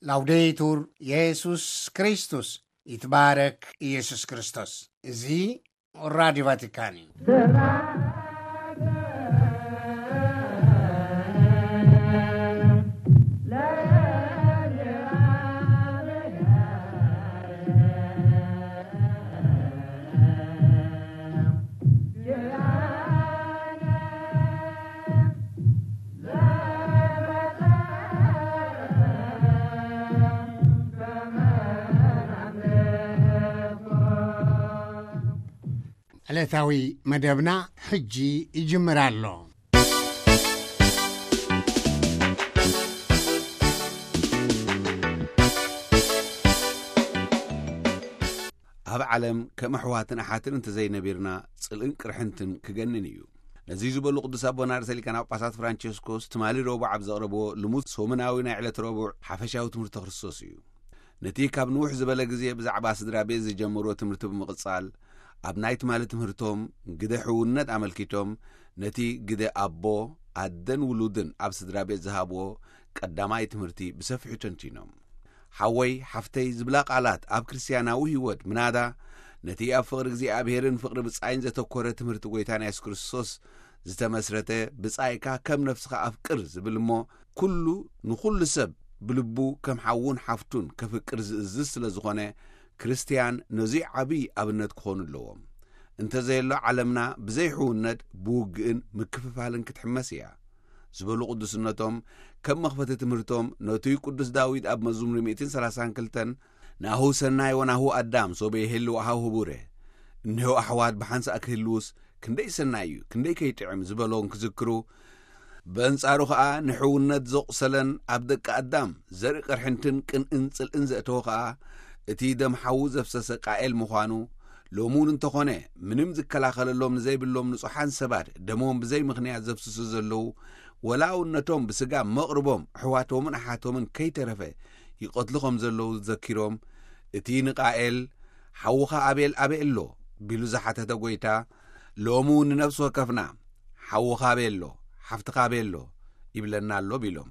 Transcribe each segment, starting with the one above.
ላውዴቱር የሱስ ክርስቶስ፣ ይትባረክ ኢየሱስ ክርስቶስ። እዚ ራዲዮ ቫቲካን እዩ። ዕለታዊ መደብና ሕጂ ይጅምር ኣሎ። ኣብ ዓለም ከም ኣሕዋትን ኣሓትን እንተዘይነቢርና፣ ጽልእን ቅርሕንትን ክገንን እዩ። ነዚ ዝበሉ ቅዱስ ኣቦና ርእሰ ሊቃነ ጳጳሳት ፍራንቸስኮስ ትማሊ ረቡዕ ኣብ ዘቕረብዎ ልሙድ ሰሙናዊ ናይ ዕለት ረቡዕ ሓፈሻዊ ትምህርቲ ክርስቶስ እዩ። ነቲ ካብ ንውሕ ዝበለ ግዜ ብዛዕባ ስድራ ቤት ዝጀመርዎ ትምህርቲ ብምቕጻል፣ ኣብ ናይ ትማሊ ትምህርቶም ግደ ሕውነት ኣመልኪቶም፣ ነቲ ግደ ኣቦ፣ ኣደን ውሉድን ኣብ ስድራ ቤት ዝሃብዎ ቀዳማይ ትምህርቲ ብሰፊሑ ተንቲኖም። ሓወይ፣ ሓፍተይ ዝብላ ቃላት ኣብ ክርስትያናዊ ህይወት ምናዳ፣ ነቲ ኣብ ፍቕሪ እግዚኣብሔርን ፍቕሪ ብጻይን ዘተኮረ ትምህርቲ ጐይታና የሱስ ክርስቶስ ዝተመስረተ፣ "ብጻይካ ከም ነፍስኻ ኣፍቅር" ዝብል እሞ፣ ኩሉ ንኹሉ ሰብ ብልቡ ከም ሓውን ሓፍቱን ከፍቅር ዝእዝዝ ስለ ዝኾነ፣ ክርስትያን ነዙይ ዓብዪ ኣብነት ክኾኑ ኣለዎም። እንተዘየሎ፣ ዓለምና ብዘይ ሕውነት፣ ብውግእን ምክፍፋልን ክትሕመስ እያ። ዝበሉ ቅዱስነቶም፣ ከም መኽፈቲ ትምህርቶም፣ ነቱይ ቅዱስ ዳዊት ኣብ መዝሙር ሚእትን ሰላሳን ክልተን፣ "ናሁ ሰናይ ወናሁ ኣዳም ሶበ ይሄሉ ኣሃው ህቡረ"፣ እነሆ ኣሕዋት ብሓንሳእ ክህልውስ ክንደይ ሰናይ እዩ፣ ክንደይ ከይጥዕም ዝበሎን ክዝክሩ፣ በንጻሩ ኸኣ ንሕውነት ዘቑሰለን ኣብ ደቂ ኣዳም ዘርኢ ቅርሕንትን ቅንእን ጽልእን ዘእተወ ኸኣ፣ እቲ ደም ሓዉ ዘፍሰሰ ቃኤል ምዃኑ፣ ሎሚ እውን እንተኾነ፣ ምንም ዝከላኸለሎም ንዘይብሎም ንጹሓን ሰባት ደሞም ብዘይ ምኽንያት ዘፍስሱ ዘለዉ፣ ወላ እውን ነቶም ብስጋ መቕርቦም ኣሕዋቶምን ኣሓቶምን ከይተረፈ ይቐትሉ ከም ዘለዉ ዘኪሮም፣ እቲ ንቃኤል፣ "ሓውኻ ኣቤል ኣበይ ኣሎ?" ቢሉ ዝሓተተ ጐይታ፣ ሎሚ እውን ንነፍሲ ወከፍና፣ "ሓውኻ ኣበይ ኣሎ? ሓፍትኻ ኣበይ ኣሎ?" ይብለና ኣሎ ቢሎም።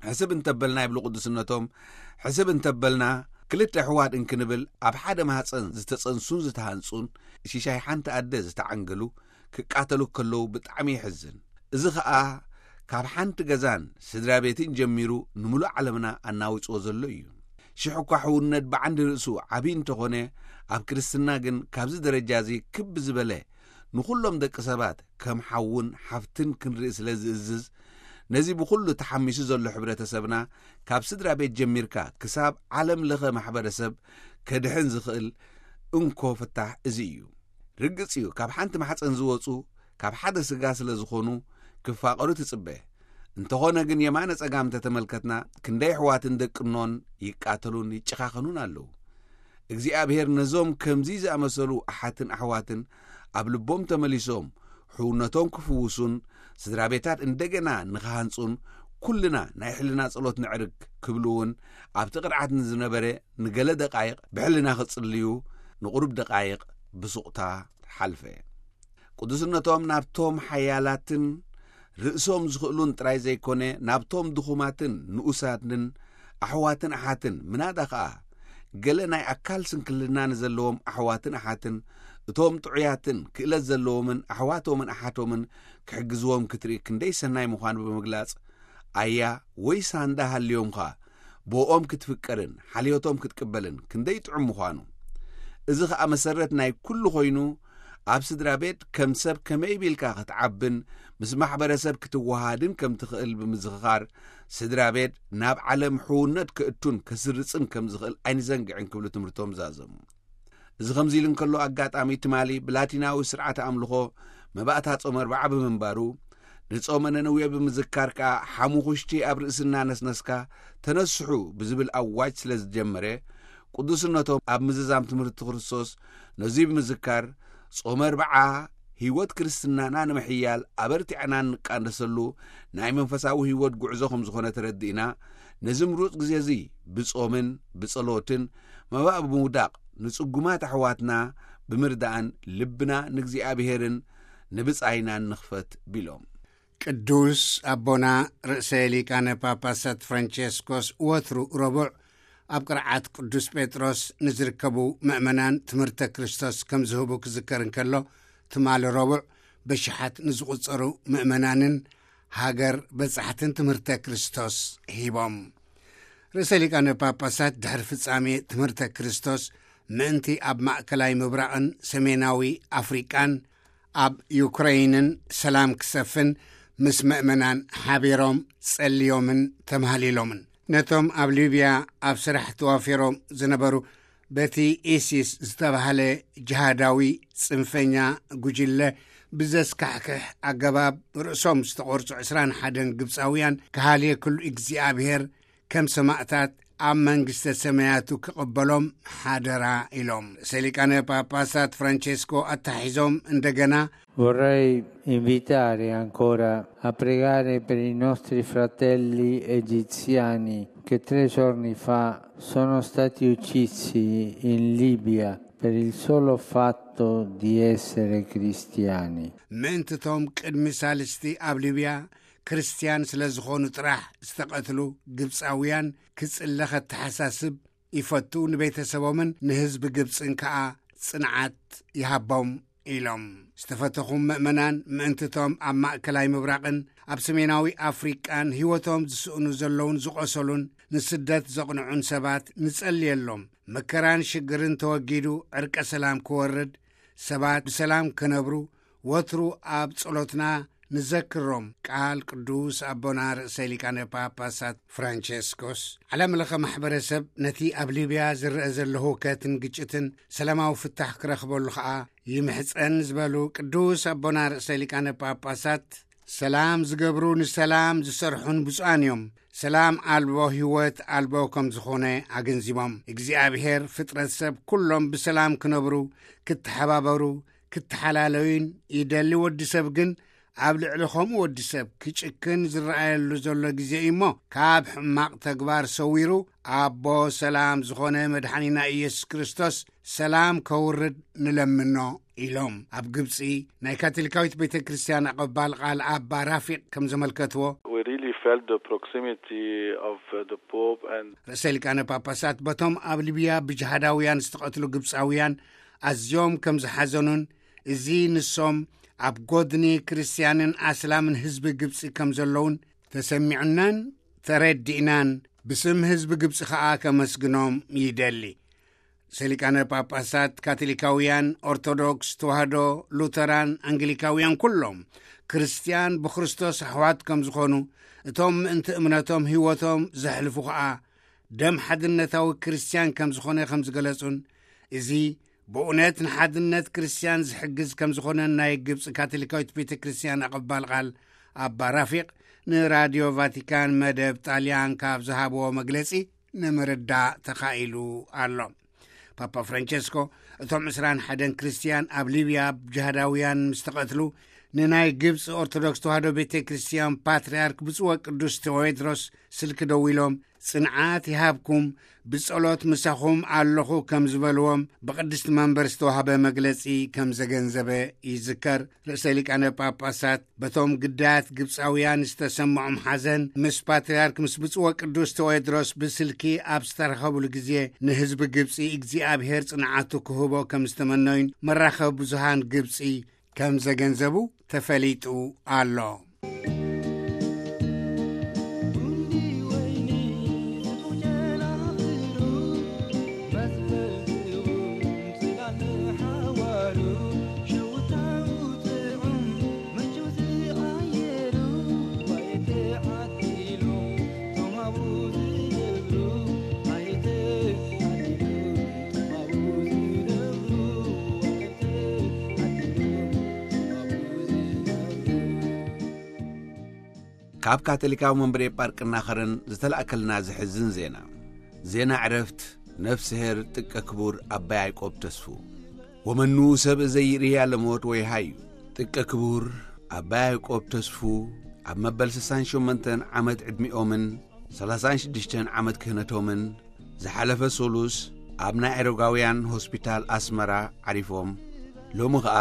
ሕስብ እንተበልና፣ ይብሉ ቅዱስነቶም፣ ሕስብ እንተበልና፣ ክልተ ኣሕዋት እንክንብል ኣብ ሓደ ማህፀን ዝተፀንሱን ዝተሃንፁን፣ ሽሻይ ሓንቲ ኣደ ዝተዓንገሉ ክቃተሉ ከለዉ ብጣዕሚ የሕዝን። እዚ ኸኣ ካብ ሓንቲ ገዛን ስድራ ቤትን ጀሚሩ ንምሉእ ዓለምና ኣናዊፅዎ ዘሎ እዩ። ሽሕ እኳ ሕውነት ብዓንዲ ርእሱ ዓብዪ እንተኾነ፣ ኣብ ክርስትና ግን ካብዚ ደረጃ እዚ ክብ ዝበለ ንኹሎም ደቂ ሰባት ከም ሓውን ሓፍትን ክንርኢ ስለ ዝእዝዝ፣ ነዚ ብኹሉ ተሓሚሱ ዘሎ ሕብረተሰብና ካብ ስድራ ቤት ጀሚርካ ክሳብ ዓለም ለኸ ማሕበረሰብ ከድሕን ዝኽእል እንኮ ፍታሕ እዚ እዩ። ርግጽ እዩ፣ ካብ ሓንቲ ማሕጸን ዝወጹ ካብ ሓደ ስጋ ስለ ዝኾኑ ክፋቐሩ ትጽበ። እንተኾነ ግን የማነ ጸጋም እንተተመልከትና ክንደይ ኣሕዋትን ደቅኖን ይቃተሉን ይጨኻኸኑን ኣለዉ። እግዚኣብሔር ነዞም ከምዚ ዝኣመሰሉ ኣሓትን ኣሕዋትን ኣብ ልቦም ተመሊሶም ሕውነቶም ክፍውሱን ስድራ ቤታት እንደገና ንኽሃንጹን ኩልና ናይ ሕልና ጸሎት ነዕርግ ክብሉ እውን ኣብቲ ቅርዓት ንዝነበረ ንገለ ደቃይቕ ብሕልና ክጽልዩ ንቑሩብ ደቃይቕ ብሱቕታ ሓልፈ። ቅዱስነቶም ናብቶም ሓያላትን ርእሶም ዝኽእሉን ጥራይ ዘይኮነ፣ ናብቶም ድኹማትን ንኡሳትን ኣሕዋትን ኣሓትን፣ ምናዳ ኸኣ ገለ ናይ ኣካል ስንክልና ንዘለዎም ኣሕዋትን ኣሓትን፣ እቶም ጥዑያትን ክእለት ዘለዎምን ኣሕዋቶምን ኣሓቶምን ክሕግዝዎም ክትርኢ ክንደይ ሰናይ ምዃኑ ብምግላጽ፣ ኣያ ወይ ሳንዳ ሃልዮምኻ፣ ብኦም ክትፍቀርን ሓልዮቶም ክትቅበልን ክንደይ ጥዑም ምዃኑ። እዚ ኸኣ መሰረት ናይ ኩሉ ኾይኑ፣ ኣብ ስድራ ቤት ከም ሰብ ከመይ ቢልካ ክትዓብን ምስ ማሕበረሰብ ክትወሃሃድን ከም ትኽእል ብምዝኽኻር፣ ስድራ ቤት ናብ ዓለም ሕውነት ከእቱን ከስርጽን ከም ዝኽእል ኣይንዘንግዕን ክብሉ ትምህርቶም ዛዘሙ። እዚ ከምዚ ኢሉ እንከሎ፣ ኣጋጣሚ ትማሊ ብላቲናዊ ስርዓተ ኣምልኾ መባእታ ጾመ ኣርብዓ ብምንባሩ፣ ንጾመ ነነዌ ብምዝካር ከኣ፣ "ሓሙኹሽቲ ኣብ ርእስና ነስነስካ ተነስሑ" ብዝብል ኣዋጅ ስለ ዝጀመረ፣ ቅዱስነቶም ኣብ ምዝዛም ትምህርቲ ክርስቶስ ነዚ ብምዝካር፣ ጾመ ኣርብዓ ህይወት ክርስትናና ንምሕያል ኣበርቲዕና እንቃደሰሉ ናይ መንፈሳዊ ህይወት ጉዕዞ ከም ዝኾነ ተረዲእና፣ ነዚ ምሩጽ ግዜ እዚ ብጾምን ብጸሎትን መባእ ብምውዳቕ ንጽጉማት ኣሕዋትና ብምርዳእን ልብና ንእግዚኣብሔርን ንብጻይናን ንኽፈት ቢሎም። ቅዱስ ኣቦና ርእሰ ሊቃነ ጳጳሳት ፍራንቸስኮስ ወትሩ ረቡዕ ኣብ ቅርዓት ቅዱስ ጴጥሮስ ንዝርከቡ ምእመናን ትምህርተ ክርስቶስ ከም ዝህቡ ክዝከር እንከሎ፣ ትማሊ ረቡዕ በሽሓት ንዝቑጸሩ ምእመናንን ሃገር በጻሕትን ትምህርተ ክርስቶስ ሂቦም። ርእሰ ሊቃነ ጳጳሳት ድሕሪ ፍጻሜ ትምህርተ ክርስቶስ ምእንቲ ኣብ ማእከላይ ምብራቕን ሰሜናዊ ኣፍሪቃን ኣብ ዩክረይንን ሰላም ክሰፍን ምስ ምእመናን ሓቢሮም ጸልዮምን ተማህሊሎምን። ነቶም ኣብ ሊብያ ኣብ ስራሕ ተዋፊሮም ዝነበሩ በቲ ኢሲስ ዝተባህለ ጅሃዳዊ ጽንፈኛ ጉጅለ ብዘስካሕክሕ ኣገባብ ርእሶም ዝተቖርጹ ዕስራን ሓደን ግብጻውያን ክሃልየክሉ እግዚኣብሔር ከም ሰማእታት ኣብ መንግስተ ሰማያቱ ክቕበሎም ሓደራ ኢሎም። ርእሰ ሊቃነ ጳጳሳት ፍራንቼስኮ ኣተሓሒዞም እንደገና Vorrei invitare ancora a pregare per i nostri fratelli egiziani che tre giorni fa sono stati uccisi in Libia per il solo fatto di essere cristiani. ምእንትቶም ቅድሚ ሳልስቲ ኣብ ሊብያ ክርስትያን ስለ ዝኾኑ ጥራሕ ዝተቐትሉ ግብጻውያን ክጽለ ከተሓሳስብ ይፈቱ፣ ንቤተሰቦምን ንህዝቢ ግብጽን ከኣ ጽንዓት ይሃቦም ኢሎም። ዝተፈተኹም ምእመናን፣ ምእንትቶም ኣብ ማእከላይ ምብራቕን ኣብ ሰሜናዊ ኣፍሪቃን ህይወቶም ዝስእኑ ዘለውን ዝቖሰሉን ንስደት ዘቕንዑን ሰባት ንጸልየሎም። መከራን ሽግርን ተወጊዱ ዕርቀ ሰላም ክወርድ፣ ሰባት ብሰላም ክነብሩ ወትሩ ኣብ ጸሎትና ንዘክሮም። ቃል ቅዱስ ኣቦና ርእሰ ሊቃነ ጳጳሳት ፍራንቸስኮስ። ዓለም ለኸ ማሕበረሰብ ነቲ ኣብ ሊብያ ዝረአ ዘሎ ህውከትን ግጭትን ሰላማዊ ፍታሕ ክረኽበሉ ኸኣ ይምሕጸን ዝበሉ ቅዱስ ኣቦና ርእሰ ሊቃነ ጳጳሳት፣ ሰላም ዝገብሩ ንሰላም ዝሰርሑን ብፁዓን እዮም፣ ሰላም ኣልቦ ህይወት ኣልቦ ከም ዝኾነ ኣገንዚቦም። እግዚኣብሔር ፍጥረት ሰብ ኩሎም ብሰላም ክነብሩ፣ ክተሓባበሩ፣ ክተሓላለዩን ይደሊ። ወዲ ሰብ ግን ኣብ ልዕሊ ከምኡ ወዲ ሰብ ክጭክን ዝረኣየሉ ዘሎ ግዜ እዩ እሞ፣ ካብ ሕማቕ ተግባር ሰዊሩ ኣቦ ሰላም ዝኾነ መድሓኒና ኢየሱስ ክርስቶስ ሰላም ከውርድ ንለምኖ ኢሎም። ኣብ ግብጺ ናይ ካቶሊካዊት ቤተ ክርስቲያን ኣቐባል ቃል ኣባ ራፊቅ ከም ዘመልከትዎ፣ We really felt the proximity of the Pope and ርእሰ ሊቃነ ጳጳሳት በቶም ኣብ ሊብያ ብጅሃዳውያን ዝተቐትሉ ግብጻውያን ኣዝዮም ከም ዝሓዘኑን፣ እዚ ንሶም ኣብ ጎድኒ ክርስትያንን ኣስላምን ህዝቢ ግብጺ ከም ዘለውን ተሰሚዑናን ተረዲእናን፣ ብስም ህዝቢ ግብጺ ኸኣ ከመስግኖም ይደሊ። ርእሰ ሊቃነ ጳጳሳት ካቶሊካውያን፣ ኦርቶዶክስ ተዋህዶ፣ ሉተራን፣ ኣንግሊካውያን ኩሎም ክርስትያን ብክርስቶስ ኣሕዋት ከም ዝኾኑ፣ እቶም ምእንቲ እምነቶም ህይወቶም ዘሕልፉ ኸኣ ደም ሓድነታዊ ክርስትያን ከም ዝኾነ ከም ዝገለጹን፣ እዚ ብእውነት ንሓድነት ክርስትያን ዝሕግዝ ከም ዝኾነን ናይ ግብጺ ካቶሊካዊት ቤተ ክርስትያን ኣቐባል ቃል ኣባ ራፊቅ ንራድዮ ቫቲካን መደብ ጣልያን ካብ ዝሃብዎ መግለጺ ንምርዳእ ተኻኢሉ ኣሎ። ፓፓ ፍራንቸስኮ እቶም ዕስራን ሓደን ክርስትያን ኣብ ሊብያ ጅሃዳውያን ምስ ተቐትሉ፣ ንናይ ግብጺ ኦርቶዶክስ ተዋህዶ ቤተ ክርስትያን ፓትርያርክ ብፁዕ ወቅዱስ ቴዎድሮስ ስልኪ ደዊሎም፣ ጽንዓት ይሃብኩም፣ ብጸሎት ምሳኹም ኣለኹ ከም ዝበልዎም ብቅድስቲ መንበር ዝተዋህበ መግለጺ ከም ዘገንዘበ ይዝከር። ርእሰ ሊቃነ ጳጳሳት በቶም ግዳያት ግብጻውያን ዝተሰምዖም ሓዘን፣ ምስ ፓትርያርክ ምስ ብፁዕ ወቅዱስ ቴዎድሮስ ብስልኪ ኣብ ዝተረኸብሉ ግዜ፣ ንህዝቢ ግብጺ እግዚኣብሔር ጽንዓቱ ክህቦ ከም ዝተመነዩን መራኸቢ ብዙሃን ግብጺ ከም ዘገንዘቡ ተፈሊጡ ኣሎ። ካብ ካቶሊካዊ መንበረ ጳርቅና ኸረን ዝተላእከልና ዘሕዝን ዜና። ዜና ዕረፍት ነፍስሄር ጥቀ ክቡር ኣባ ያዕቆብ ተስፉ። ወመኑ ሰብ ዘይርእያ ለሞት ወይ ሃዩ። ጥቀ ክቡር ኣባ ያዕቆብ ተስፉ ኣብ መበል ስሳን ሸሞንተን ዓመት ዕድሚኦምን ሰላሳን ሽዱሽተን ዓመት ክህነቶምን ዝሓለፈ ሶሉስ ኣብ ናይ ኤሮጋውያን ሆስፒታል ኣስመራ ዓሪፎም፣ ሎሚ ኸኣ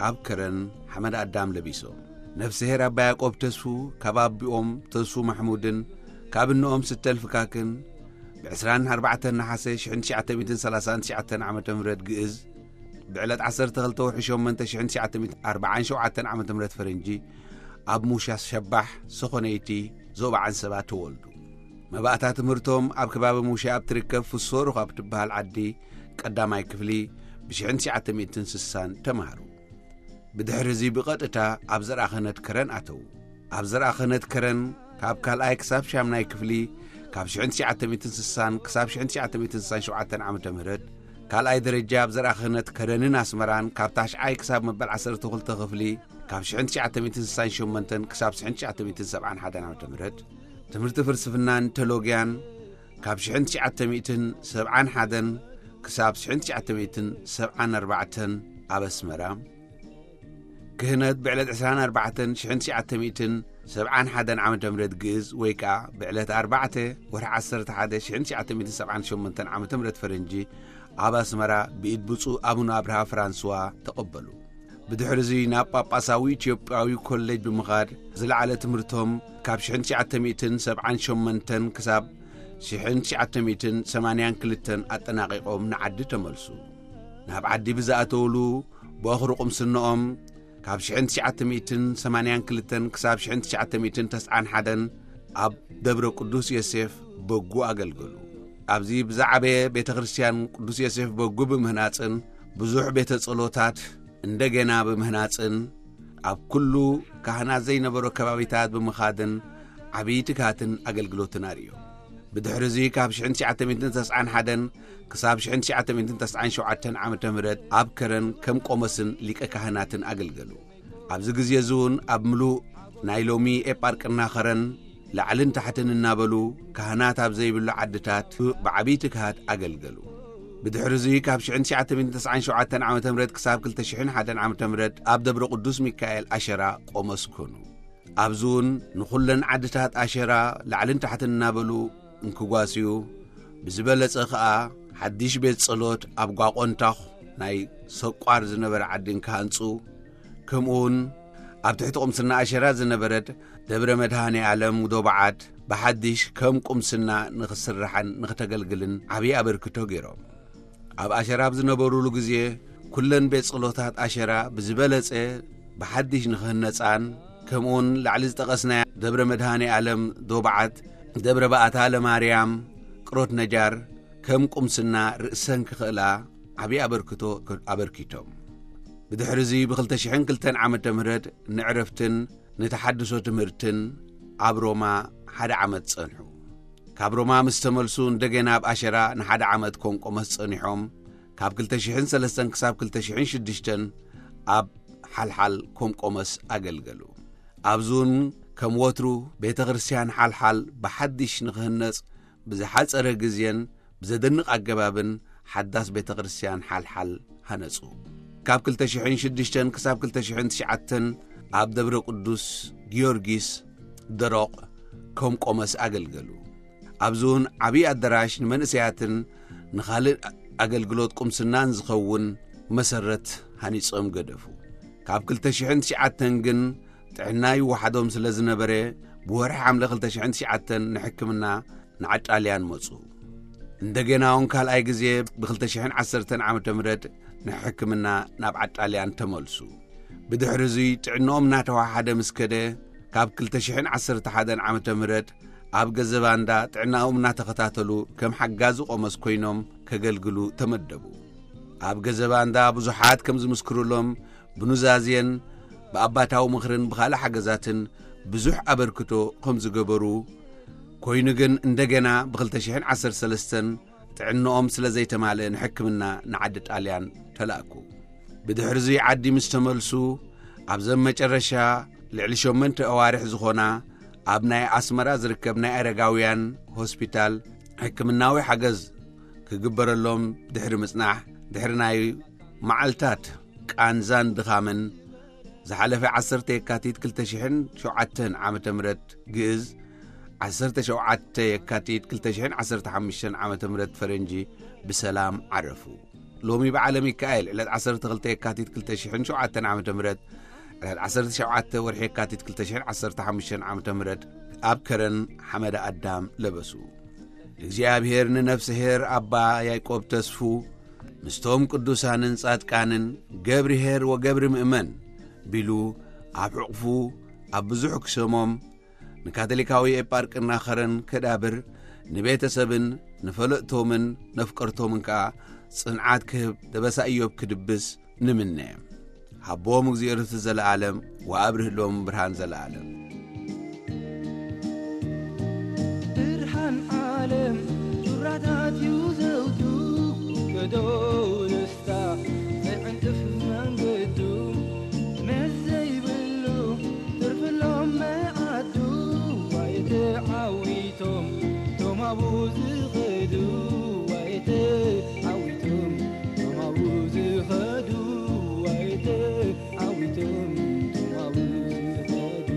ኣብ ከረን ሓመድ ኣዳም ለቢሶም። ነፍስሄር ኣባ ያዕቆብ ተስፉ ካብ ኣቢኦም ተስፉ ማሕሙድን ካብ እንኦም ስተል ፍካክን ብ24 ነሓሰ 1939 ዓመተ ምህረት ግእዝ፣ ብዕለት 12 ወርሒ 8 1947 ዓመተ ምህረት ፈረንጂ ኣብ ሙሻ ሸባሕ ሰኾነይቲ ዞባ ዓንሰባ ተወልዱ። መባእታ ትምህርቶም ኣብ ከባቢ ሙሻ ኣብ ትርከብ ፍሶሩ ካብ ትበሃል ዓዲ ቀዳማይ ክፍሊ ብ1960 ተማሃሩ። ብድሕሪ እዚ ብቐጥታ ኣብ ዘርኣ ክህነት ከረን ኣተዉ። ኣብ ዘርኣ ክህነት ከረን ካብ ካልኣይ ክሳብ ሻምናይ ክፍሊ ካብ 1960 ክሳብ 1967 ዓመተ ምህረት፣ ካልኣይ ደረጃ ኣብ ዘርኣ ክህነት ከረንን ኣስመራን ካብ ታሽዓይ ክሳብ መበል 12 ክፍሊ ካብ 1968 ክሳብ 1971 ዓመተ ምህረት፣ ትምህርቲ ፍልስፍናን ቴሎጊያን ካብ 1971 ክሳብ 1974 ኣብ ኣስመራ፣ ክህነት ብዕለት 24 1971 ዓመተ ምህረት ግእዝ ወይ ከኣ ብዕለት 4 ወርሒ 11 1978 ዓመተ ምህረት ፈረንጂ ኣብ ኣስመራ ብኢድ ብፁዕ ኣቡነ ኣብርሃ ፍራንስዋ ተቐበሉ። ብድሕሪ እዚ ናብ ጳጳሳዊ ኢትዮጵያዊ ኮሌጅ ብምኻድ ዝለዓለ ትምህርቶም ካብ 1978 ክሳብ 1982 ኣጠናቒቖም ንዓዲ ተመልሱ። ናብ ዓዲ ብዝኣተውሉ ብወኽሪ ቁምስንኦም ካብ 1982 ክሳብ 1991 ኣብ ደብረ ቅዱስ ዮሴፍ በጉ ኣገልገሉ። ኣብዚ ብዝዓበየ ቤተ ክርስቲያን ቅዱስ ዮሴፍ በጉ ብምህናጽን ብዙሕ ቤተ ጸሎታት እንደገና ብምህናጽን ኣብ ኩሉ ካህናት ዘይነበሮ ከባቢታት ብምኻድን ዓብዪ ትግሃትን ኣገልግሎትን ኣርእዮም። ብድሕሪ እዚ ካብ 1991 ክሳብ 1997 ዓመተ ምህረት ኣብ ከረን ከም ቆሞስን ሊቀ ካህናትን ኣገልገሉ። ኣብዚ ግዜ እዚ እውን ኣብ ምሉእ ናይ ሎሚ ኤጳርቅና ከረን ላዕልን ታሕትን እናበሉ ካህናት ኣብ ዘይብሉ ዓድታት ብዓብዪ ትግሃት ኣገልገሉ። ብድሕሪ እዚ ካብ 1997 ዓመተ ምህረት ክሳብ 2001 ዓመተ ምህረት ኣብ ደብረ ቅዱስ ሚካኤል ኣሸራ ቆሞስ ኮኑ። ኣብዚ እውን ንኹለን ዓድታት ኣሸራ ላዕልን ታሕትን እናበሉ እንክጓስዩ፣ ብዝበለጸ ኸኣ ሓድሽ ቤት ጸሎት ኣብ ጓቆንታኹ ናይ ሰቋር ዝነበረ ዓዲ እንክሃንጹ፣ ከምኡውን ኣብ ትሕቲ ቁምስና ኣሸራ ዝነበረት ደብረ መድሃኔ ዓለም ዶባዓት ብሓድሽ ከም ቁምስና ንኽስርሓን ንኽተገልግልን ዓብዪ ኣበርክቶ ገይሮም። ኣብ ኣሸራ ኣብ ዝነበሩሉ ግዜ፣ ኩለን ቤት ጸሎታት ኣሸራ ብዝበለጸ ብሓድሽ ንኽህነጻን፣ ከምኡውን ላዕሊ ዝጠቐስናያ ደብረ መድሃኔ ዓለም ዶባዓት፣ ደብረ ባእታ ለማርያም፣ ቅሮት ነጃር፣ ከም ቁምስና ርእሰን ክኽእላ ዓብዪ ኣበርክቶ ኣበርኪቶም። ብድሕሪ እዚ ብ2002 ዓመተ ምህረት ንዕረፍትን ንተሓድሶ ትምህርትን ኣብ ሮማ ሓደ ዓመት ጸንሑ። ካብ ሮማ ምስ ተመልሱ እንደገና ኣብ ኣሸራ ንሓደ ዓመት ኮም ቆሞስ ጸኒሖም፣ ካብ 2003 ክሳብ 2006 ኣብ ሓልሓል ኮም ቆሞስ ኣገልገሉ። ኣብዚ እውን ከም ወትሩ ቤተ ክርስቲያን ሓልሓል ብሓድሽ ንኽህነጽ ብዝሓጸረ ግዜን ብዘደንቕ ኣገባብን ሓዳስ ቤተ ክርስቲያን ሓልሓል ሃነጹ። ካብ 2006 ክሳብ 2009 ኣብ ደብረ ቅዱስ ጊዮርጊስ ደሮቕ ከም ቆሞስ ኣገልገሉ። ኣብዚ እውን ዓብዪ ኣዳራሽ ንመንእሰያትን ንኻልእ ኣገልግሎት ቁምስናን ዝኸውን መሰረት ሃኒጾም ገደፉ። ካብ 2009 ግን ጥዕና ይወሓዶም ስለ ዝነበረ፣ ብወርሒ ሓምለ 2009 ንሕክምና ንዓጣልያን መጹ። እንደገና እውን ካልኣይ ግዜ ብ2010 ዓመተ ምህረት ንሕክምና ናብ ዓጣልያን ተመልሱ። ብድሕሪ እዚ ጥዕንኦም እናተዋሓደ ምስ ከደ፣ ካብ 2011 ዓመተ ምህረት ኣብ ገዘባንዳ ጥዕናኦም እናተኸታተሉ ከም ሓጋዚ ቆሞስ ኮይኖም ከገልግሉ ተመደቡ። ኣብ ገዘባንዳ ብዙሓት ከም ዝምስክሩሎም ብኑዛዜን ብኣባታዊ ምኽርን ብኻልእ ሓገዛትን ብዙሕ ኣበርክቶ ከም ዝገበሩ ኮይኑ ግን እንደገና ብ2013 ጥዕንኦም ስለ ዘይተማልአ ንሕክምና ንዓዲ ጣልያን ተላእኩ። ብድሕሪ እዚ ዓዲ ምስ ተመልሱ ኣብዘን መጨረሻ ልዕሊ ሸሞንተ ኣዋርሕ ዝኾና ኣብ ናይ ኣስመራ ዝርከብ ናይ ኣረጋውያን ሆስፒታል ሕክምናዊ ሓገዝ ክግበረሎም ድሕሪ ምጽናሕ ድሕሪ ናይ መዓልታት ቃንዛን ድኻምን ዝሓለፈ 10 የካቲት 2007 ዓመተ ምህረት ግእዝ 17 የካቲት 2015 ዓመተ ምህረት ፈረንጂ ብሰላም ዓረፉ። ሎሚ በዓለ ሚካኤል ዕለት 12 የካቲት 2007 ዓመተ ምህረት ዕለት ዓሰርተ ሸውዓተ ወርሒ የካቲት ክልተ ሽሕን ዓሰርተ ሓሙሽተን ዓመተ ምህረት ኣብ ከረን ሓመደ ኣዳም ለበሱ። ንእግዚኣብሔር ንነፍስሄር ኣባ ያዕቆብ ተስፉ ምስቶም ቅዱሳንን ጻድቃንን ገብርሄር ወገብሪ ምእመን ቢሉ ኣብ ሕቑፉ ኣብ ብዙሕ ክሰሞም ንካቶሊካዊ ኤጳርቅና ኸረን ከዳብር ንቤተሰብን ንፈለጥቶምን ነፍቀርቶምን ከኣ ጽንዓት ክህብ ደበሳ ኢዮብ ክድብስ ንምነ። ሃቦም እግዚኣብሔር ርስቲ ዘለኣለም ወኣብርህሎም ብርሃን ዘለኣለም። ብርሃን ዓለም ዙራታት እዩ ዘውቱ ገዶ ንስታ ዘይዕንቅፍ መንገዱ መስ ዘይብሉ ትርፍሎም መዓዱ ዋይተ ዓዊቶም ቶም ኣብኡ ዝኸዱ ዋይተ ዓዊቶም ቶም ኣብኡ ዝኸዱ ዋይተ ዓዊቶም ቶም ኣብኡ ዝኸዱ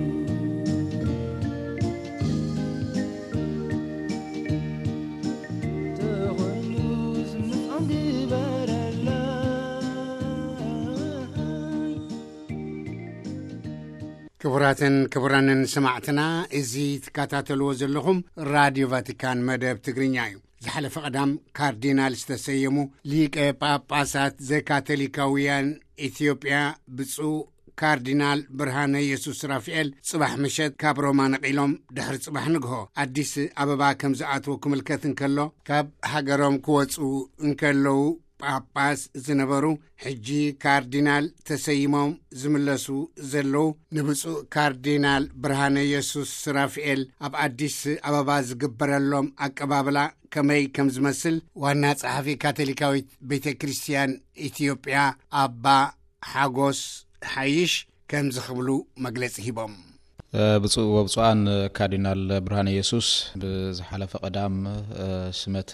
ተኾይኑስ ምስዖም ግበረለይ። ክቡራትን ክቡራንን ሰማዕትና፣ እዚ ትከታተልዎ ዘለኹም ራድዮ ቫቲካን መደብ ትግርኛ እዩ። ዝሓለፈ ቀዳም ካርዲናል ዝተሰየሙ ሊቀ ጳጳሳት ዘካቶሊካውያን ኢትዮጵያ ብፁዕ ካርዲናል ብርሃነ የሱስ ራፍኤል ጽባሕ ምሸት ካብ ሮማ ነቒሎም ድሕሪ ጽባሕ ንግሆ ኣዲስ ኣበባ ከም ዝኣትዉ ክምልከት እንከሎ፣ ካብ ሃገሮም ክወጹ እንከለዉ ጳጳስ ዝነበሩ፣ ሕጂ ካርዲናል ተሰይሞም ዝምለሱ ዘለዉ ንብፁዕ ካርዲናል ብርሃነ የሱስ ራፍኤል ኣብ ኣዲስ ኣበባ ዝግበረሎም ኣቀባብላ ከመይ ከም ዝመስል ዋና ጸሓፊ ካቶሊካዊት ቤተ ክርስቲያን ኢትዮጵያ ኣባ ሓጎስ ሓይሽ ከምዚ ክብሉ መግለጺ ሂቦም። ብፁዕ ወብፁዓን ካርዲናል ብርሃነ ኢየሱስ ብዝሓለፈ ቀዳም ሽመት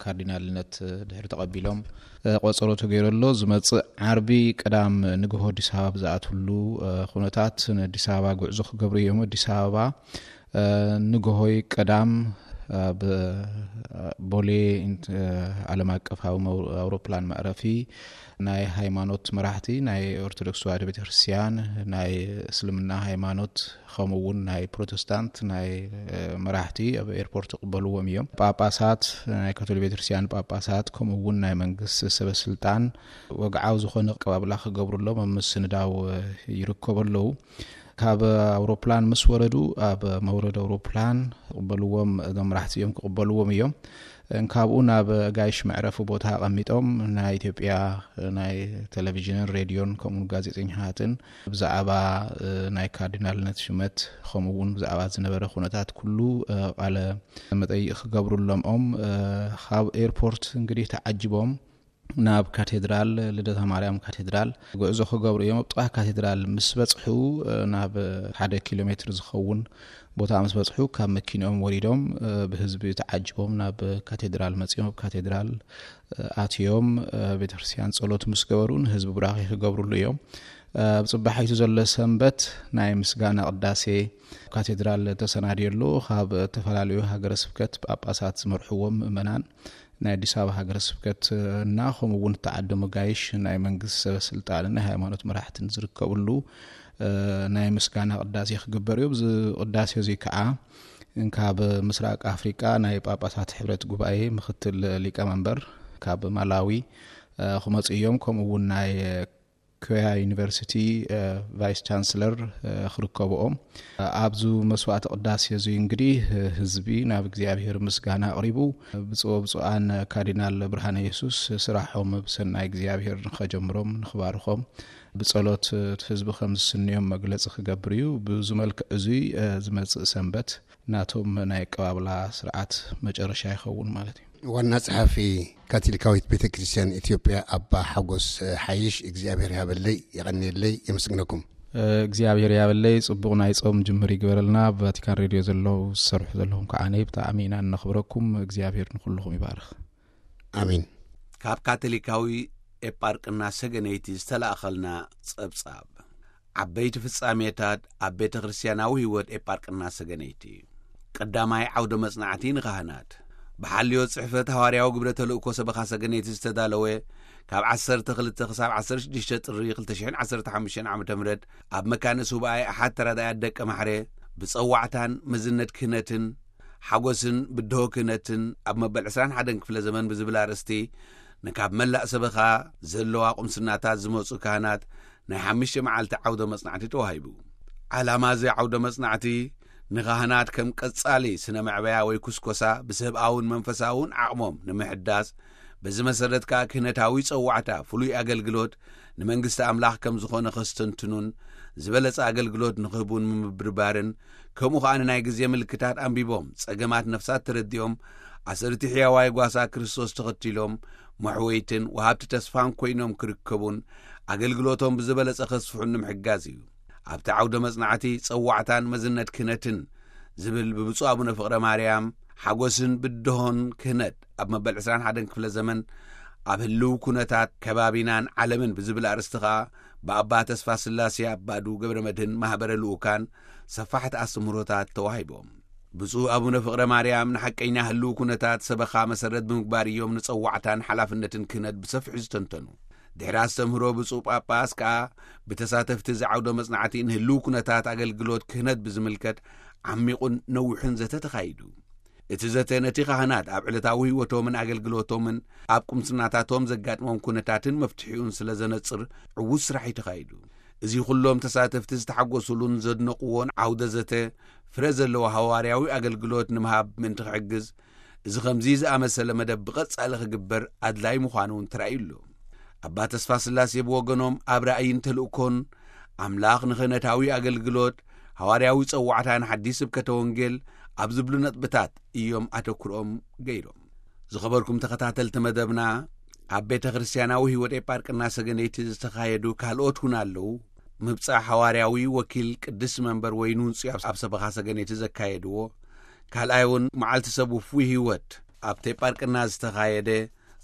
ካርዲናልነት ድሕሪ ተቐቢሎም ቆጸሮ ተገይሩ ኣሎ። ዝመጽእ ዓርቢ ቀዳም ንግሆ ኣዲስ ኣበባ ብዝኣትውሉ ኩነታት ንኣዲስ ኣበባ ጉዕዞ ክገብሩ እዮም። ኣዲስ ኣበባ ንግሆይ ቀዳም ኣብ ቦሌ ዓለም ኣቀፋዊ ኣውሮፕላን መዕረፊ ናይ ሃይማኖት መራሕቲ ናይ ኦርቶዶክስ ተዋህዶ ቤተክርስትያን፣ ናይ እስልምና ሃይማኖት፣ ከምኡ እውን ናይ ፕሮቴስታንት ናይ መራሕቲ ኣብ ኤርፖርት ይቕበልዎም እዮም። ጳጳሳት፣ ናይ ካቶሊክ ቤተክርስትያን ጳጳሳት፣ ከምኡ እውን ናይ መንግስቲ ሰበ ስልጣን ወግዓዊ ዝኾነ ኣቀባብላ ክገብሩሎም ኣብ ምስንዳው ይርከቡ ኣለዉ። ካብ ኣውሮፕላን ምስ ወረዱ ኣብ መውረድ ኣውሮፕላን ክቕበልዎም፣ እዞም መራሕቲ እዮም ክቕበልዎም እዮም። ካብኡ ናብ ጋይሽ መዕረፊ ቦታ ኣቐሚጦም ናይ ኢትዮጵያ ናይ ቴሌቪዥንን ሬድዮን ከምኡ ጋዜጠኛታትን ብዛዕባ ናይ ካርዲናልነት ሽመት ከምኡ እውን ብዛዕባ ዝነበረ ኩነታት ኩሉ ቃለ መጠይቕ ክገብሩሎም ኦም ካብ ኤርፖርት እንግዲህ ተዓጅቦም ናብ ካቴድራል ልደታ ማርያም ካቴድራል ጉዕዞ ክገብሩ እዮም። ኣብ ጥቓ ካቴድራል ምስ በጽሑ ናብ ሓደ ኪሎ ሜትር ዝኸውን ቦታ ምስ በጽሑ ካብ መኪንኦም ወሪዶም ብህዝቢ ተዓጅቦም ናብ ካቴድራል መጺኦም ኣብ ካቴድራል ኣትዮም ቤተክርስትያን ጸሎት ምስ ገበሩ ንህዝቢ ቡራኺ ክገብሩሉ እዮም። ኣብ ጽባሒቱ ዘሎ ሰንበት ናይ ምስጋና ቅዳሴ ካቴድራል ተሰናድዮ ኣሎ። ካብ ዝተፈላለዩ ሃገረ ስብከት ጳጳሳት ዝመርሕዎም ምእመናን ናይ ኣዲስ ኣበባ ሃገረ ስብከት እና ከምኡ እውን እተዓደሙ ጋይሽ ናይ መንግስቲ ሰበ ስልጣንን ናይ ሃይማኖት መራሕትን ዝርከብሉ ናይ ምስጋና ቅዳሴ ክግበር እዩ። እዚ ቅዳሴ እዚ ከዓ ካብ ምስራቅ ኣፍሪቃ ናይ ጳጳሳት ሕብረት ጉባኤ ምክትል ሊቀመንበር ካብ ማላዊ ክመፁ እዮም። ከምኡ እውን ናይ ኮያ ዩኒቨርሲቲ ቫይስ ቻንስለር ክርከብኦም ኣብዚ መስዋዕቲ ቅዳሴ እዚ እንግዲህ ህዝቢ ናብ እግዚኣብሔር ምስጋና ኣቕሪቡ ብፁዕ ብፁዓን ካርዲናል ብርሃነ ኢየሱስ ስራሖም ብሰናይ እግዚኣብሔር ንኸጀምሮም ንኽባርኾም ብጸሎት ህዝቢ ከም ዝስንዮም መግለጺ ክገብር እዩ። ብዚ መልክዕ እዚ ዝመጽእ ሰንበት ናቶም ናይ ኣቀባብላ ስርዓት መጨረሻ ይኸውን ማለት እዩ። ዋና ጸሓፊ ካቶሊካዊት ቤተ ክርስቲያን ኢትዮጵያ ኣባ ሓጎስ ሓይሽ እግዚኣብሔር ይሃበለይ፣ የቐንየለይ፣ የመስግነኩም። እግዚኣብሔር ያበለይ ጽቡቕ ናይ ጾም ጅምር ይግበረልና። ኣብ ቫቲካን ሬድዮ ዘለዉ ዝሰርሑ ዘለኹም ከዓ ነይ ብጣዕሚ ኢና እነኽብረኩም። እግዚኣብሔር ንኩልኹም ይባርኽ። ኣሜን። ካብ ካቶሊካዊ ኤጳርቅና ሰገነይቲ ዝተላእኸልና ጸብጻብ። ዓበይቲ ፍጻሜታት ኣብ ቤተ ክርስቲያናዊ ህይወት ኤጳርቅና ሰገነይቲ። ቀዳማይ ዓውደ መጽናዕቲ ንኻህናት። ብሓልዮ ጽሕፈት ሃዋርያዊ ግብረ ተልእኮ ሰበኻ ሰገነይቲ ዝተዳለወ፣ ካብ ዓሰርተ ክልተ ክሳብ ዓሰርተ ሽዱሽተ ጥሪ ክልተ ሽሕን ዓሰርተ ሓሙሽተን ዓመተ ምህረት ኣብ መካነ ሱባኤ ኣሓት ተራዳያት ደቀ ማሕረ፣ ብጸዋዕታን መዝነት ክህነትን ሓጎስን ብድሆ ክህነትን ኣብ መበል ዕስራን ሓደን ክፍለ ዘመን ብዝብል ኣርእስቲ፣ ንካብ መላእ ሰበኻ ዘለዋ ቁምስናታት ዝመጹ ካህናት ናይ ሓሙሽተ መዓልቲ ዓውደ መጽናዕቲ ተዋሂቡ። ዓላማ እዚ ዓውደ መጽናዕቲ፣ ንኻህናት ከም ቀጻሊ ስነ መዕበያ ወይ ኩስኮሳ ብሰብኣውን መንፈሳውን ዓቕሞም ንምሕዳስ፣ በዚ መሰረት ከኣ ክህነታዊ ጸዋዕታ ፍሉይ ኣገልግሎት ንመንግስቲ ኣምላኽ ከም ዝኾነ ከስተንትኑን ዝበለጸ ኣገልግሎት ንኽህቡን ምምብርባርን፣ ከምኡ ከኣ ንናይ ግዜ ምልክታት ኣንቢቦም ጸገማት ነፍሳት ተረዲኦም፣ ኣሰርቲ ሕያዋይ ጓሳ ክርስቶስ ተኸቲሎም መሕወይትን ወሃብቲ ተስፋን ኮይኖም ክርከቡን ኣገልግሎቶም ብዝበለጸ ከስፍሑን ንምሕጋዝ እዩ። ኣብቲ ዓውደ መጽናዕቲ ጸዋዕታን መዝነት ክህነትን ዝብል ብብፁዕ ኣቡነ ፍቕረ ማርያም ሓጎስን ብድሆን ክህነት ኣብ መበል ዕስራን ሓደን ክፍለ ዘመን ኣብ ህልው ኩነታት ከባቢናን ዓለምን ብዝብል ኣርእስቲ ኸኣ ብኣባ ተስፋ ስላሴ ኣባዱ ገብረ መድህን ማህበረ ልኡካን ሰፋሕቲ ኣስተምህሮታት ተዋሂቦም። ብፁዕ ኣቡነ ፍቕረ ማርያም ንሓቀኛ ህልው ኩነታት ሰበኻ መሰረት ብምግባር እዮም ንጸዋዕታን ሓላፍነትን ክህነት ብሰፊሑ ዝተንተኑ። ድሕሪ ኣስተምህሮ ብፁዕ ጳጳስ ከኣ ብተሳተፍቲ እዚ ዓውደ መጽናዕቲ ንህልው ኩነታት ኣገልግሎት ክህነት ብዝምልከት ዓሚቑን ነዊሑን ዘተ ተኻይዱ። እቲ ዘተ ነቲ ካህናት ኣብ ዕለታዊ ህይወቶምን ኣገልግሎቶምን ኣብ ቁምስናታቶም ዘጋጥሞም ኩነታትን መፍትሒኡን ስለ ዘነጽር ዕዉት ስራሕ እዩ ተኻይዱ። እዚ ኩሎም ተሳተፍቲ ዝተሓጎሱሉን ዘድነቕዎን ዓውደ ዘተ ፍረ ዘለዎ ሃዋርያዊ ኣገልግሎት ንምሃብ ምእንቲ ክሕግዝ፣ እዚ ከምዚ ዝኣመሰለ መደብ ብቐጻሊ ክግበር ኣድላይ ምዃኑ እውን ተራእዩ ኣሎ። ኣባ ተስፋ ስላሴ ብወገኖም ኣብ ራእይን ተልእኮን ኣምላኽ ንኽህነታዊ ኣገልግሎት፣ ሃዋርያዊ ጸዋዕታን ሓዲስ ስብከተ ወንጌል ኣብ ዝብሉ ነጥብታት እዮም ኣተኩሮም ገይሮም። ዝኸበርኩም ተኸታተልቲ መደብና፣ ኣብ ቤተ ክርስቲያናዊ ህይወት ኤጳርቅና ሰገነይቲ ዝተኻየዱ ካልኦት እውን ኣለዉ። ምብጻሕ ሃዋርያዊ ወኪል ቅድስቲ መንበር ወይ ኑንጽዮ ኣብ ሰበኻ ሰገነይቲ ዘካየድዎ፣ ካልኣይ እውን መዓልቲ ሰብ ውፉይ ህይወት ኣብቲ ኤጳርቅና ዝተኻየደ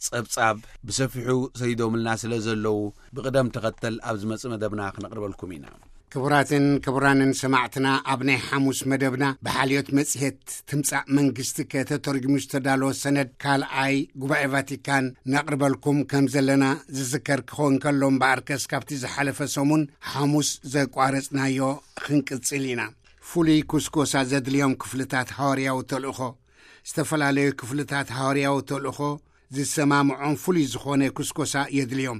ጸብጻብ ብሰፊሑ ሰይዶምልና ስለ ዘለዉ፣ ብቕደም ተኸተል ኣብ ዝመጽእ መደብና ክነቕርበልኩም ኢና። ክቡራትን ክቡራንን ሰማዕትና፣ ኣብ ናይ ሓሙስ መደብና ብሓልዮት መጽሔት ትምጻእ መንግስቲ ከተተርጉሙ ዝተዳለወ ሰነድ ካልኣይ ጉባኤ ቫቲካን ነቕርበልኩም ከም ዘለና ዝዝከር ክኸውን ከሎ እምበኣርከስ፣ ካብቲ ዝሓለፈ ሰሙን ሓሙስ ዘቋረጽናዮ ክንቅጽል ኢና። ፍሉይ ኩስኮሳ ዘድልዮም ክፍልታት ሃዋርያዊ ተልእኾ። ዝተፈላለዩ ክፍልታት ሃዋርያዊ ተልእኾ ዝሰማምዖም ፍሉይ ዝኾነ ኩስኮሳ የድልዮም።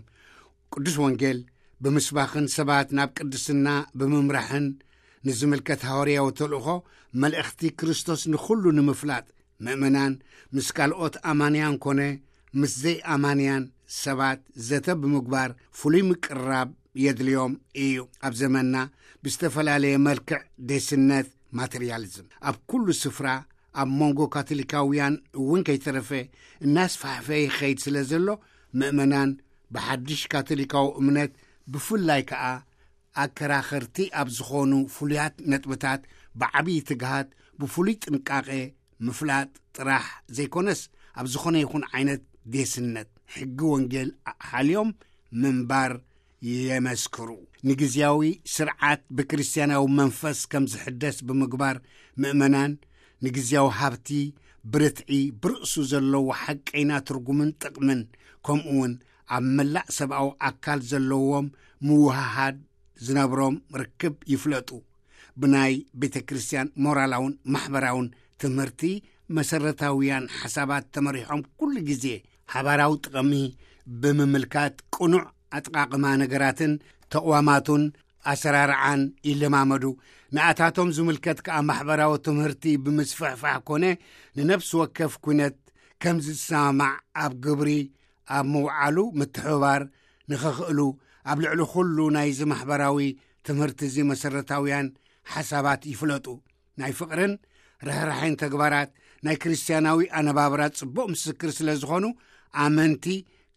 ቅዱስ ወንጌል ብምስባኽን ሰባት ናብ ቅድስና ብምምራሕን ንዝምልከት ሃዋርያዊ ተልእኾ፣ መልእኽቲ ክርስቶስ ንኹሉ ንምፍላጥ፣ ምእመናን ምስ ካልኦት ኣማንያን ኮነ ምስ ዘይኣማንያን ሰባት ዘተ ብምግባር ፍሉይ ምቅርራብ የድልዮም እዩ። ኣብ ዘመንና ብዝተፈላለየ መልክዕ ዴስነት፣ ማተርያሊዝም፣ ኣብ ኩሉ ስፍራ ኣብ መንጎ ካቶሊካውያን እውን ከይተረፈ እናስፋሕፈ ይኸይድ ስለ ዘሎ፣ ምእመናን ብሓድሽ ካቶሊካዊ እምነት፣ ብፍላይ ከኣ ኣከራኸርቲ ኣብ ዝኾኑ ፍሉያት ነጥብታት ብዓብዪ ትግሃት ብፍሉይ ጥንቃቄ ምፍላጥ ጥራሕ ዘይኮነስ፣ ኣብ ዝኾነ ይኹን ዓይነት ዴስነት ሕጊ ወንጌል ሓልዮም ምንባር የመስክሩ። ንግዝያዊ ስርዓት ብክርስትያናዊ መንፈስ ከም ዝሕደስ ብምግባር፣ ምእመናን ንግዝያዊ ሃብቲ ብርትዒ ብርእሱ ዘለዎ ሓቀይና ትርጉምን ጥቕምን፣ ከምኡውን ኣብ መላእ ሰብኣዊ ኣካል ዘለዎም ምውሃሃድ ዝነብሮም ርክብ ይፍለጡ። ብናይ ቤተ ክርስቲያን ሞራላውን ማሕበራውን ትምህርቲ መሰረታውያን ሓሳባት ተመሪሖም፣ ኩሉ ግዜ ሓባራዊ ጥቕሚ ብምምልካት ቅኑዕ ኣጠቓቕማ ነገራትን ተቕዋማቱን ኣሰራርዓን ይለማመዱ። ንኣታቶም ዝምልከት ከኣ ማሕበራዊ ትምህርቲ ብምስፍሕፋሕ ኮነ ንነፍሲ ወከፍ ኩነት ከም ዝሰማማዕ ኣብ ግብሪ ኣብ ምውዓሉ ምትሕብባር ንኸኽእሉ፣ ኣብ ልዕሊ ኩሉ ናይዚ ማሕበራዊ ትምህርቲ እዚ መሰረታውያን ሓሳባት ይፍለጡ። ናይ ፍቕርን ርህራሄን ተግባራት ናይ ክርስትያናዊ ኣነባብራ ጽቡቕ ምስክር ስለ ዝኾኑ፣ ኣመንቲ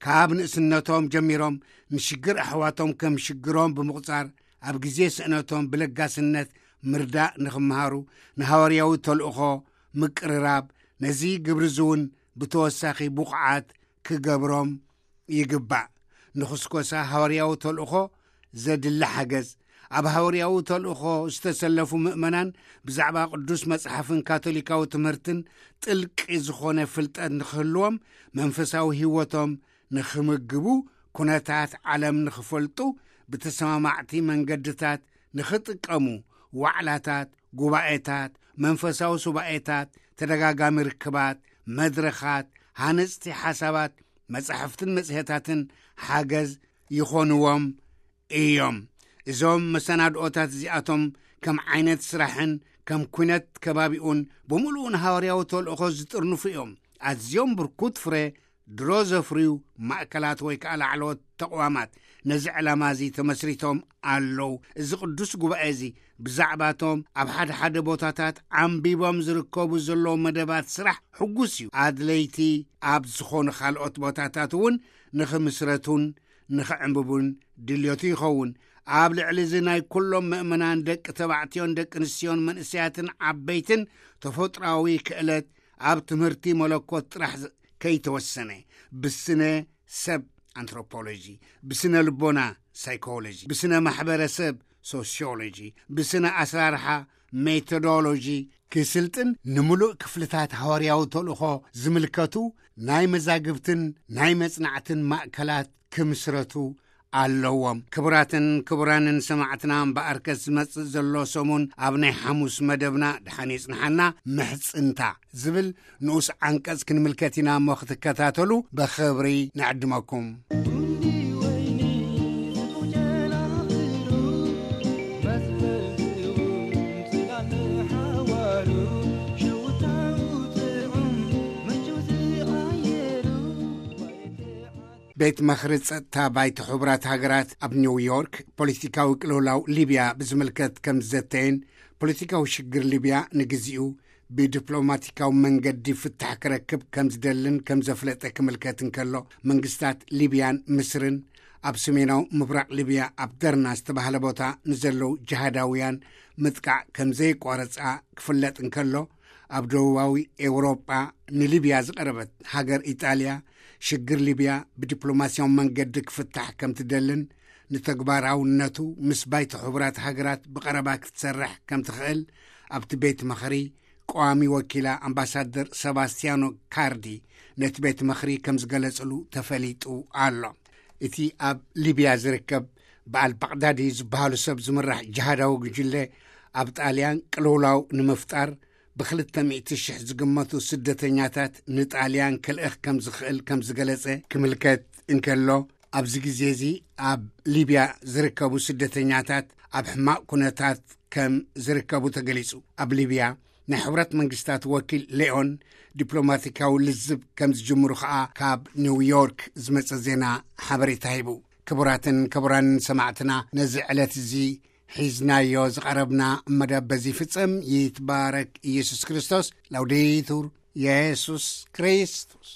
ካብ ንእስነቶም ጀሚሮም ንሽግር ኣሕዋቶም ከም ሽግሮም ብምቑጻር፣ ኣብ ግዜ ስእነቶም ብለጋስነት ምርዳእ ንኽመሃሩ፣ ንሃዋርያዊ ተልእኾ ምቅርራብ፣ ነዚ ግብሪ እዚ እውን ብተወሳኺ ብቑዓት ክገብሮም ይግባእ። ንኹስኮሳ ሃዋርያዊ ተልእኾ ዘድሊ ሓገዝ፣ ኣብ ሃዋርያዊ ተልእኾ ዝተሰለፉ ምእመናን ብዛዕባ ቅዱስ መጽሓፍን ካቶሊካዊ ትምህርትን ጥልቂ ዝኾነ ፍልጠት ንኽህልዎም፣ መንፈሳዊ ህይወቶም ንኽምግቡ፣ ኩነታት ዓለም ንኽፈልጡ፣ ብተሰማማዕቲ መንገድታት ንኽጥቀሙ፣ ዋዕላታት፣ ጉባኤታት፣ መንፈሳዊ ሱባኤታት፣ ተደጋጋሚ ርክባት፣ መድረኻት፣ ሃነጽቲ ሓሳባት፣ መጻሕፍትን መጽሔታትን ሓገዝ ይኾንዎም እዮም። እዞም መሰናድኦታት እዚኣቶም ከም ዓይነት ስራሕን ከም ኩነት ከባቢኡን ብምሉኡ ንሃዋርያዊ ተልእኾ ዝጥርንፉ እዮም። ኣዝዮም ብርኩት ፍረ ድሮ ዘፍርዩ ማእከላት ወይ ከኣ ላዕለዎት ተቕዋማት ነዚ ዕላማ እዚ ተመስሪቶም ኣለዉ። እዚ ቅዱስ ጉባኤ እዚ ብዛዕባቶም ኣብ ሓደ ሓደ ቦታታት ዓንቢቦም ዝርከቡ ዘለዉ መደባት ስራሕ ሕጉስ እዩ። ኣድለይቲ ኣብ ዝኾኑ ካልኦት ቦታታት እውን ንኽምስረቱን ንኽዕንብቡን ድልዮቱ ይኸውን። ኣብ ልዕሊ እዚ ናይ ኩሎም ምእመናን ደቂ ተባዕትዮን ደቂ ኣንስትዮን መንእሰያትን ዓበይትን ተፈጥሮኣዊ ክእለት ኣብ ትምህርቲ መለኮት ጥራሕ ዝ-፣ ከይተወሰነ፣ ብስነ ሰብ ኣንትሮፖሎጂ፣ ብስነ ልቦና ሳይኮሎጂ፣ ብስነ ማሕበረሰብ ሶሲዮሎጂ፣ ብስነ ኣሰራርሓ ሜቶዶሎጂ ክስልጥን ንምሉእ ክፍልታት ሃዋርያዊ ተልእኾ ዝምልከቱ ናይ መዛግብትን ናይ መጽናዕትን ማእከላት ክምስረቱ ኣለዎም። ክቡራትን ክቡራንን ሰማዕትና፣ እምበኣርከስ ዝመጽእ ዘሎ ሰሙን ኣብ ናይ ሓሙስ መደብና ድሓን ይጽንሓና፣ ምሕጽንታ ዝብል ንኡስ ዓንቀጽ ክንምልከት ኢና እሞ ክትከታተሉ ብኽብሪ ንዕድመኩም። ቤት ምኽሪ ጸጥታ ባይቶ ሕቡራት ሃገራት ኣብ ኒውዮርክ ፖለቲካዊ ቅልውላው ሊብያ ብዝምልከት ከም ዝዘተየን፣ ፖለቲካዊ ሽግር ሊብያ ንግዚኡ ብዲፕሎማቲካዊ መንገዲ ፍታሕ ክረክብ ከም ዝደልን ከም ዘፍለጠ ክምልከት እንከሎ፣ መንግስታት ሊብያን ምስርን ኣብ ሰሜናዊ ምብራቕ ሊብያ ኣብ ደርና ዝተባህለ ቦታ ንዘለዉ ጅሃዳውያን ምጥቃዕ ከም ዘየቋረጻ ክፍለጥ እንከሎ፣ ኣብ ደቡባዊ ኤውሮጳ ንሊብያ ዝቐረበት ሃገር ኢጣልያ፣ ሽግር ሊብያ ብዲፕሎማስያዊ መንገዲ ክፍታሕ ከም ትደልን፣ ንተግባራውነቱ ምስ ባይቶ ሕቡራት ሃገራት ብቐረባ ክትሰርሕ ከም ትኽእል ኣብቲ ቤት ምኽሪ ቀዋሚ ወኪላ ኣምባሳደር ሰባስቲያኖ ካርዲ ነቲ ቤት ምኽሪ ከም ዝገለጽሉ ተፈሊጡ ኣሎ። እቲ ኣብ ሊብያ ዝርከብ ብኣል ባቕዳዲ ዝበሃሉ ሰብ ዝምራሕ ጅሃዳዊ ጉጅለ ኣብ ጣልያን ቅልውላው ንምፍጣር ብክልተ ሚእቲ ሽሕ ዝግመቱ ስደተኛታት ንጣልያን ክልእኽ ከም ዝኽእል ከም ዝገለጸ ክምልከት እንከሎ፣ ኣብዚ ግዜ እዚ ኣብ ሊብያ ዝርከቡ ስደተኛታት ኣብ ሕማቕ ኩነታት ከም ዝርከቡ ተገሊጹ። ኣብ ሊብያ ናይ ሕቡራት መንግስታት ወኪል ሌኦን ዲፕሎማቲካዊ ልዝብ ከም ዝጅምሩ ከኣ ካብ ኒውዮርክ ዝመጸ ዜና ሓበሬታ ሂቡ። ክቡራትን ክቡራንን ሰማዕትና፣ ነዚ ዕለት እዚ ሒዝናዮ ዝቐረብና መደብ በዚ ይፍጸም። ይትባረክ ኢየሱስ ክርስቶስ። ላውዴቱር ኢየሱስ ክርስቶስ።